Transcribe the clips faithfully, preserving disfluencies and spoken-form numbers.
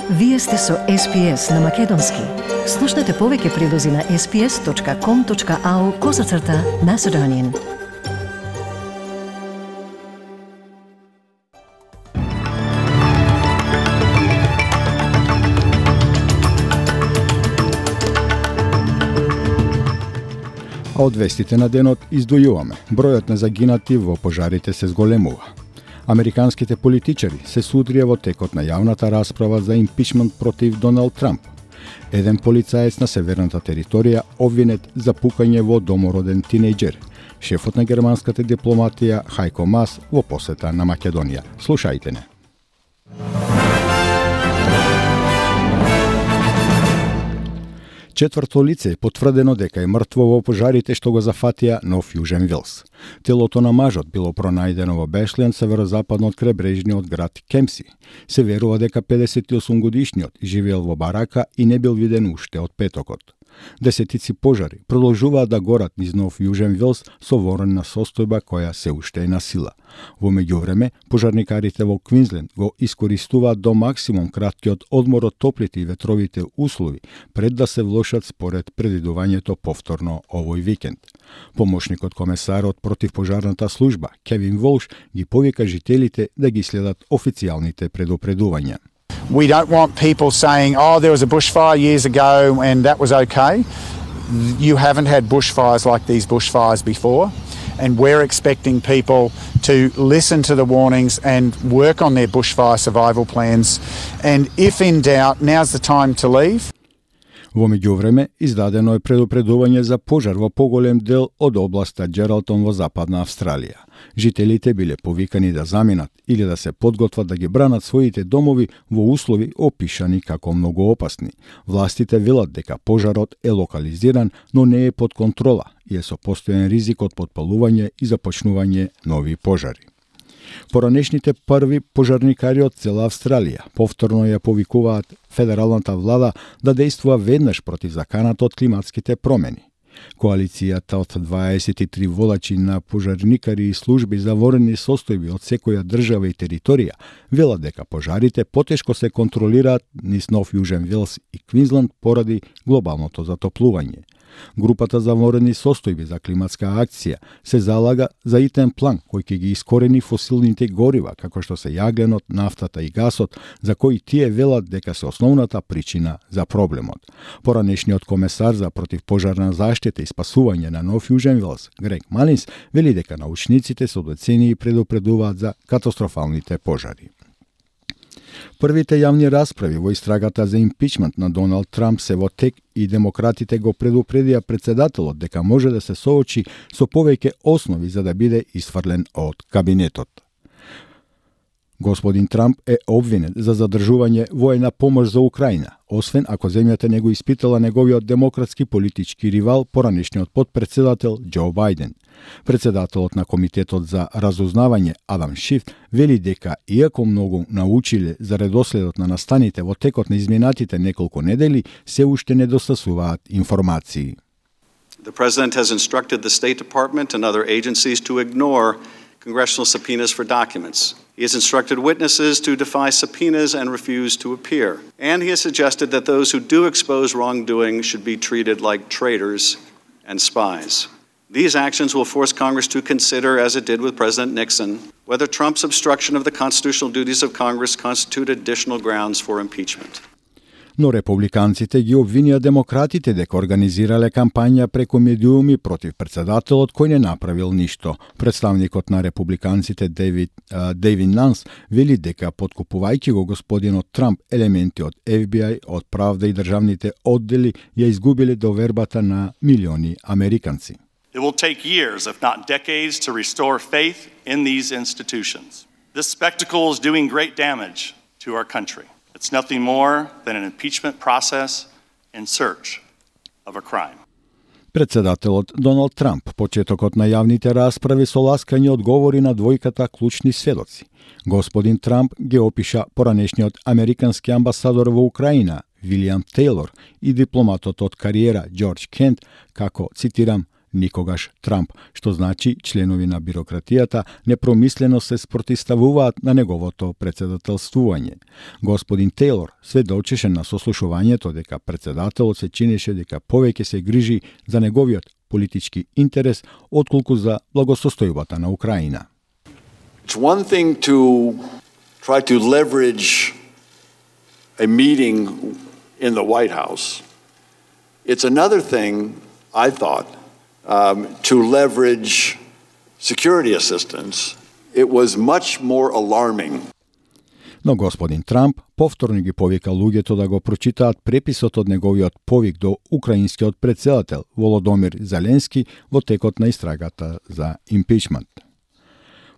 Вие сте со Ес Би Ес на Македонски. Слушнете повеќе прилози на ес би ес точка ком точка ау козацрта Macedonian. А од вестите на денот издвојуваме. Бројот на загинати во пожарите се зголемува. Американските политичари се судрија во текот на јавната расправа за импичмент против Доналд Трамп. Еден полицаец на северната територија обвинет за пукање во домороден тинејџер. Шефот на германската дипломатија Хајко Мас во посета на Македонија. Слушајте не. Четврто лице е потврдено дека е мртво во пожарите што го зафатија Нов Јужен Велс. Телото на мажот било пронајдено во Бешлен, северозападно од кребрежниот град Кемси. Се верува дека педесет и осум годишниот живеел во барака и не бил виден уште од петокот. Десетици пожари продолжуваат да горат низ Нов Јужен Велс со ворена состојба која се уште е на сила. Во меѓувреме, пожарникарите во Квинсленд го искористуваат до максимум краткиот одмор од топлите и ветровите услови пред да се влошат според предвидувањето повторно овој викенд. Помошникот комесарот против пожарната служба Кевин Волш ги повика жителите да ги следат официјалните предупредувања. We don't want people saying, oh, there was a bushfire years ago and that was okay. You haven't had bushfires like these bushfires before, and we're expecting people to listen to the warnings and work on their bushfire survival plans. And if in doubt, now's the time to leave. Во меѓувреме, издадено е предупредување за пожар во поголем дел од областа Джералтон во Западна Австралија. Жителите биле повикани да заминат или да се подготват да ги бранат своите домови во услови опишани како многу опасни. Властите велат дека пожарот е локализиран, но не е под контрола и е со постојан ризик од потпалување и започнување нови пожари. Поранешните први пожарникари од цела Австралија повторно ја повикуваат федералната влада да дејствува веднаш против заканата од климатските промени. Коалицијата од дваесет и три водачи на пожарникари и служби за ворени состојби од секоја држава и територија велат дека пожарите потешко се контролираат низ Нов Јужен Велс и Квинсленд поради глобалното затоплување. Групата за ворени состојби за климатска акција се залага за итен план кој ќе ги искорени фосилните горива, како што се јагленот, нафтата и гасот, за кои тие велат дека се основната причина за проблемот. Поранешниот комесар за противпожарна заштита и спасување на Нов Јужен Велс, Грег Малинс, вели дека научниците со децении предупредуваат за катастрофалните пожари. Првите јавни расправи во истрагата за импичмент на Доналд Трамп се во тек и демократите го предупредија председателот дека може да се соочи со повеќе основи за да биде исфрлен од кабинетот. Господин Трамп е обвинет за задржување воена помош за Украина, освен ако земјата не го испитала неговиот демократски политички ривал, поранешниот потпредседател Џо Бајден. Председателот на Комитетот за разузнавање Адам Шиф вели дека иако многу научиле за редоследот на настаните во текот на изминатите неколку недели, се уште недостасуваат информации. The President has instructed the State Department and other agencies to ignore congressional subpoenas for documents. He has instructed witnesses to defy subpoenas and refuse to appear. And he has suggested that those who do expose wrongdoing should be treated like traitors and spies. These actions will force Congress to consider, as it did with President Nixon, whether Trump's obstruction of the constitutional duties of Congress constitute additional grounds for impeachment. Но републиканците ги обвинија демократите дека организирале кампања преку медиуми против председателот кој не направил ништо. Представникот на републиканците Дейвид, Дейвид Нанс вели дека подкупувајќи го господинот Трамп елементи од Еф Би Ај, од правда и државните оддели ја изгубиле довербата на милиони американци. It will take years, if not decades, to restore faith in these institutions. This spectacle is doing great damage to our country. It's nothing more than an impeachment process in search of a crime. Председателот Доналд Трамп почетокот на јавните расправи со ласкање одговори на двојката клучни сведоци. Господин Трамп ги опиша поранешниот американски амбасадор во Украина Вилијам Тејлор и дипломатот од кариера Џорџ Кент како, цитирам, никогаш Трамп, што значи членови на бирократијата непромислено се спротивставуваат на неговото председателствување. Господин Тейлор сведочеше на сослушувањето дека председателот се чинеше дека повеќе се грижи за неговиот политички интерес отколку за благосостојбата на Украина. It's one thing to try to leverage a meeting in the White House. It's another thing, I thought, um, to leverage security assistance. It was much more alarming. Но господин Трамп повторно ги повика луѓето да го прочитаат преписот од неговиот повик до украинскиот претседател Володомир Зеленски во текот на истрагата за импичмент.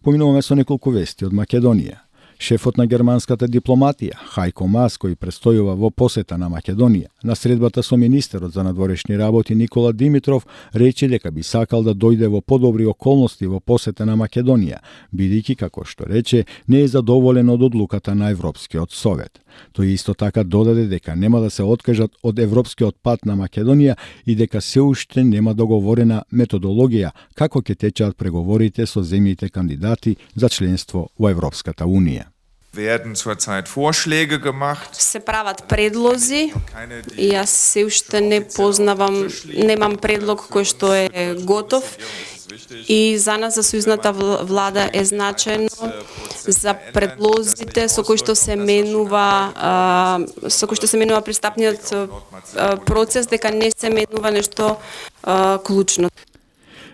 Поминуваме со неколку вести од Македонија. Шефот на германската дипломатија, Хајко Мас, кој престојува во посета на Македонија, на средбата со министерот за надворешни работи Никола Димитров, рече дека би сакал да дојде во подобри околности во посета на Македонија, бидејќи, како што рече, не е задоволен од одлуката на Европскиот совет. Тој исто така додаде дека нема да се откажат од европскиот пат на Македонија и дека се уште нема договорена методологија како ќе течат преговорите со земјите кандидати за членство во Европската Унија. Werden zurzeit Vorschläge gemacht. Се прават предлози и јас се уште не познавам, немам предлог кој што е готов и за нас, за сојузната влада, е значајно за предлозите со кои што се менува со кои што се менува пристапниот процес, дека не се менува нешто клучно.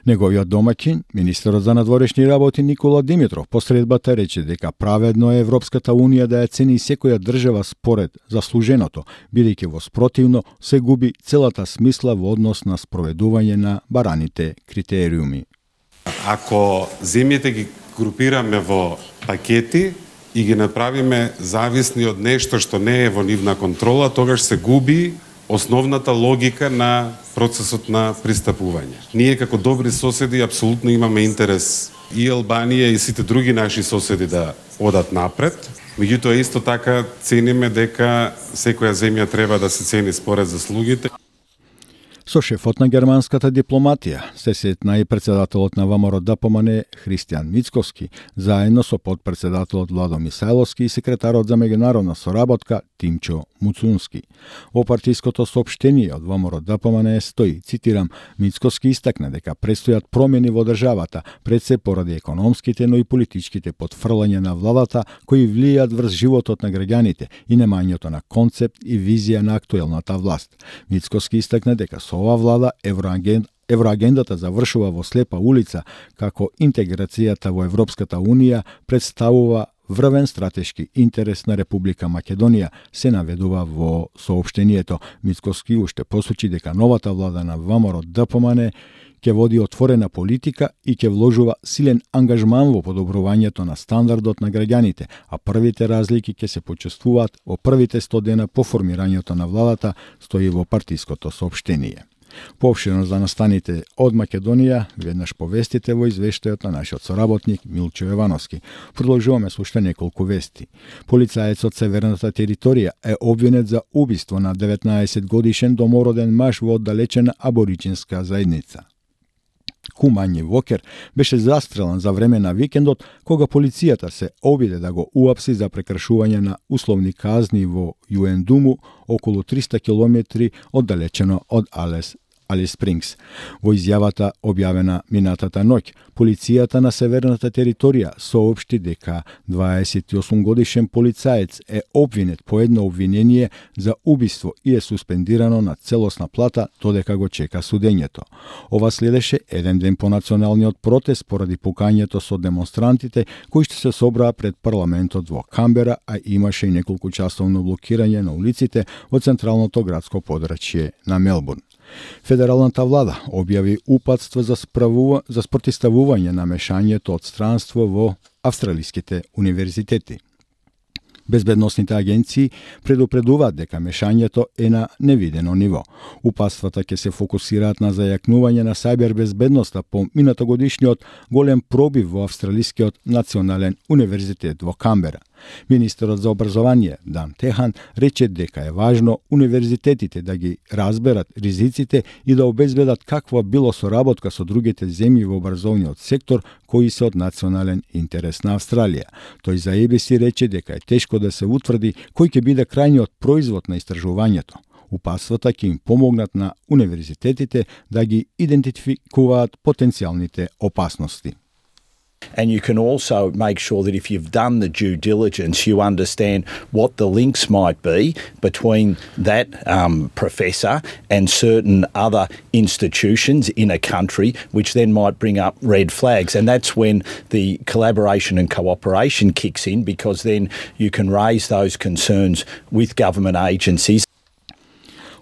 Неговиот домаќин, министерот за надворешни работи Никола Димитров, посредбата рече дека праведно е Европската Унија да ја цени секоја држава според заслуженото, бидејќи во спротивно се губи целата смисла во однос на спроведување на бараните критериуми. Ако земјите ги групираме во пакети и ги направиме зависни од нешто што не е во нивна контрола, тогаш се губи основната логика на процесот на пристапување. Ние како добри соседи апсолутно имаме интерес и Албанија и сите други наши соседи да одат напред. Меѓутоа исто така цениме дека секоја земја треба да се цени според заслугите. Со шефот на германската дипломатија се сетна и председателот на ВМРО-ДПМН Христијан Мицковски, заедно со подпредседателот Владо Мисајловски и секретарот за меѓународна соработка Тимчо Муцунски. Во партиското соопштение од ВМРО-ДПМН стои, цитирам, Мицковски истакна дека предстојат промени во државата, пред се поради економските, но и политичките потфрлања на владата кои влијаат врз животот на граѓаните и немањето на концепт и визија на актуелната власт. Мицковски истакна дека со ова влада евроаген... евроагендата завршува во слепа улица, како интеграцијата во Европската Унија представува врвен стратешки интерес на Република Македонија, се наведува во соопштението. Мицковски уште посочи дека новата влада на ВМРО-ДПМН ќе води отворена политика и ќе вложува силен ангажман во подобрувањето на стандардот на граѓаните, а првите разлики ќе се почувствуваат во првите сто дена по формирањето на владата, стои во партиското соопштение. Поопштено за настаните од Македонија, веднаш повестите во извештајот на нашиот соработник Милчо Јовановски. Продолжуваме со уште неколку вести. Полицаец од северната територија е обвинет за убиство на деветнаесет годишен домороден маж во оддалечена абориџинска заедница. Кумањи Вокер беше застрелан за време на викендот, кога полицијата се обиде да го уапси за прекршување на условни казни во Јуендуму, околу триста километри оддалечено од Алес Алис Спрингс. Во изјавата објавена минатата ноќ, полицијата на северната територија соопшти дека дваесет и осум годишен полицаец е обвинет по едно обвинение за убиство и е суспендирано на целосна плата додека го чека судењето. Ова следеше еден ден по националниот протест поради пукањето со демонстрантите кои што се собраа пред парламентот во Камбера, а имаше и неколку часовно блокирање на улиците во централното градско подрачје на Мелбурн. Федералната влада објави упатство за, справува, за спротивставување на мешањето од странство во австралиските универзитети. Безбедносните агенции предупредуваат дека мешањето е на невидено ниво. Упатствата ќе се фокусираат на зајакнување на сајбер безбедноста по минатогодишниот голем пробив во Австралискиот национален универзитет во Камбера. Министерот за образование Дан Техан рече дека е важно универзитетите да ги разберат ризиците и да обезбедат каква било соработка со другите земји во образовниот сектор кои се од национален интерес на Австралија. Тој за Е Би Си рече дека е тешко да се утврди кој ќе биде крајниот производ на истражувањето. Упатствата ќе им помогнат на универзитетите да ги идентификуваат потенцијалните опасности. And you can also make sure that if you've done the due diligence, you understand what the links might be between that um, professor and certain other institutions in a country, which then might bring up red flags. And that's when the collaboration and cooperation kicks in, because then you can raise those concerns with government agencies.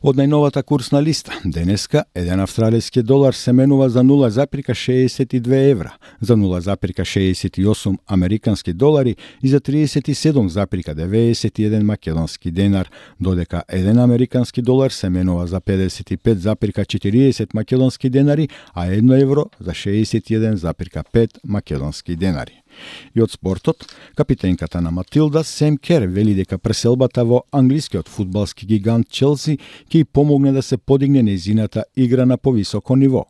Од најновата курсна листа, денеска, еден австралиски долар се менува за нула запирка шеесет и две евра, за нула запирка шеесет и осум американски долари и за триесет и седум запирка деветдесет и еден македонски денар, додека еден американски долар се менува за педесет и пет запирка четириесет македонски денари, а едно евро за шеесет и еден запирка пет македонски денари. И од спортот, капитенката на Матилда Сем Кер вели дека преселбата во англискиот фудбалски гигант Челси ќе помогне да се подигне нејзината игра на повисоко ниво.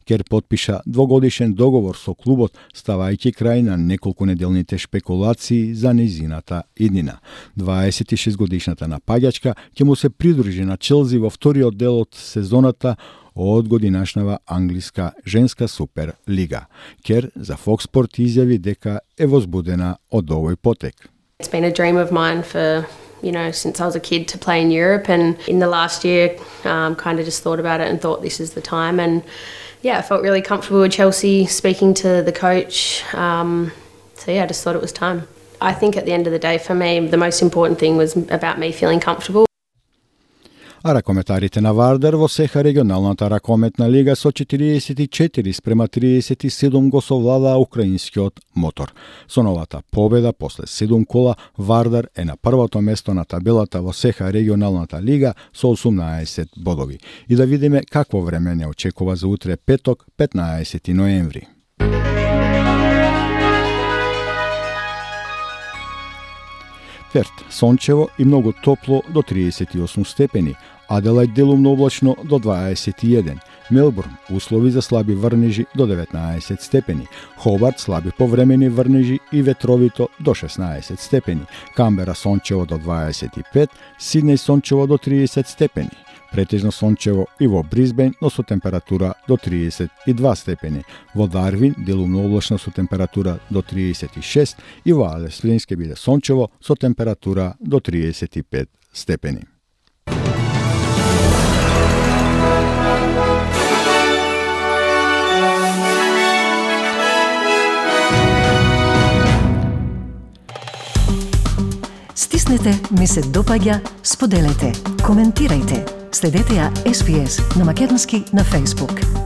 Кер потпиша двогодишен договор со клубот, ставајќи крај на неколку неделните шпекулации за нејзината иднина. дваесет и шест годишната напаѓачка ќе му се придружи на Челси во вториот дел од сезоната од годинашнава англиска женска супер лига. Кер за Fox Sport изјави дека е возбудена од овој потек. It's been a dream of mine for, you know, since I was a kid to play in Europe, and in the last year um, kind of just thought about it and thought this is the time, and yeah, I felt really comfortable with Chelsea, speaking to the coach, um, so yeah, I just thought it was time. I think at the end of the day for me the most important thing was about me feeling comfortable. А ракометарите на Вардар во сеха регионалната ракометна лига со четириесет и четири спрема триесет и седум го совладаа украинскиот Мотор. Со новата победа после седум кола, Вардар е на првото место на табелата во сеха регионалната лига со осумнаесет бодови. И да видиме какво време не очекува за утре петок, петнаесети ноември. Перт, сончево и многу топло до триесет и осум степени, Аделајд делумно облачно до дваесет и еден, Мелбурн услови за слаби врнежи до деветнаесет степени, Хобарт слаби повремени врнежи и ветровито до шеснаесет степени, Камбера сончево до дваесет и пет, Сиднеј сончево до триесет степени, претежно сончево и во Брисбен, но со температура до триесет и два степени. Во Дарвин делумно облачно со температура до триесет и шест и во Алес Спринг ќе биде сончево со температура до триесет и пет степени. Стиснете, ми се допаѓа, споделете, коментирајте. Следете ја Ес Би Ес на македонски на Facebook.